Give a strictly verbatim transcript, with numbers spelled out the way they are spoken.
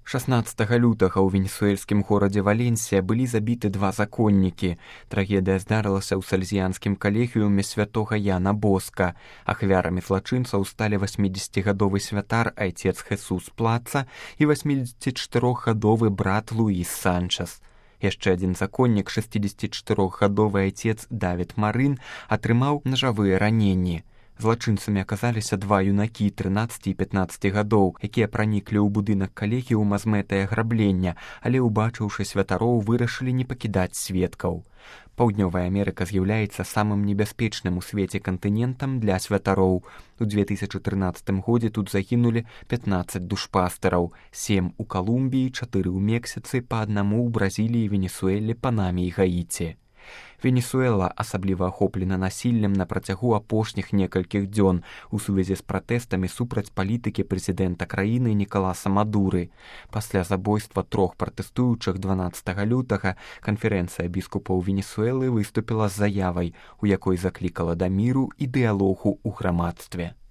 шаснаццатага лютага ў венесуэльскім горадзе Валенсія былі забіты два законнікі. Трагедыя здарылася ў сальзіянскім калегіуме святога Яна Боска. Ахвярамі злачынцаў сталі васьмідзесяцігадовы святар айцец Хесус Плаца і васьмідзесяцічатырохгадовы брат Луіс Санчес. Яшчэ адзін законнік, шэсцідзесяцічатырохгадовы айцец Давід Марын, атрымаў нажавыя раненні. Злачынцамі аказаліся два юнакі трынаццаці і пятнаццаці гадоў, якія праніклі ў будынак калегіума з мэтай аграблення, але, убачыўшы святароў, вырашылі не пакідаць сведкаў. Паўднёвая Амерыка з'яўляецца самым небяспечным у свеце кантынентам для святароў. У две тысячы трынаццатым годзе тут загінулі пятнаццаць душпастараў, сем у Калумбіі, чатыры ў Мексіцы, па аднаму ў Бразіліі, Венесуэле, Панаме і Гаіці. Венесуэла асабліва ахоплена насіллем на працягу апошніх некалькіх дзён у сувязі з пратэстамі супраць палітыкі прэзідэнта краіны Нікаласа Мадуры. Пасля забойства трох пратэстуючых дванаццатага лютага канферэнцыя біскупаў Венесуэлы выступіла з заявай, у якой заклікала да міру і дыялогу ў грамадстве.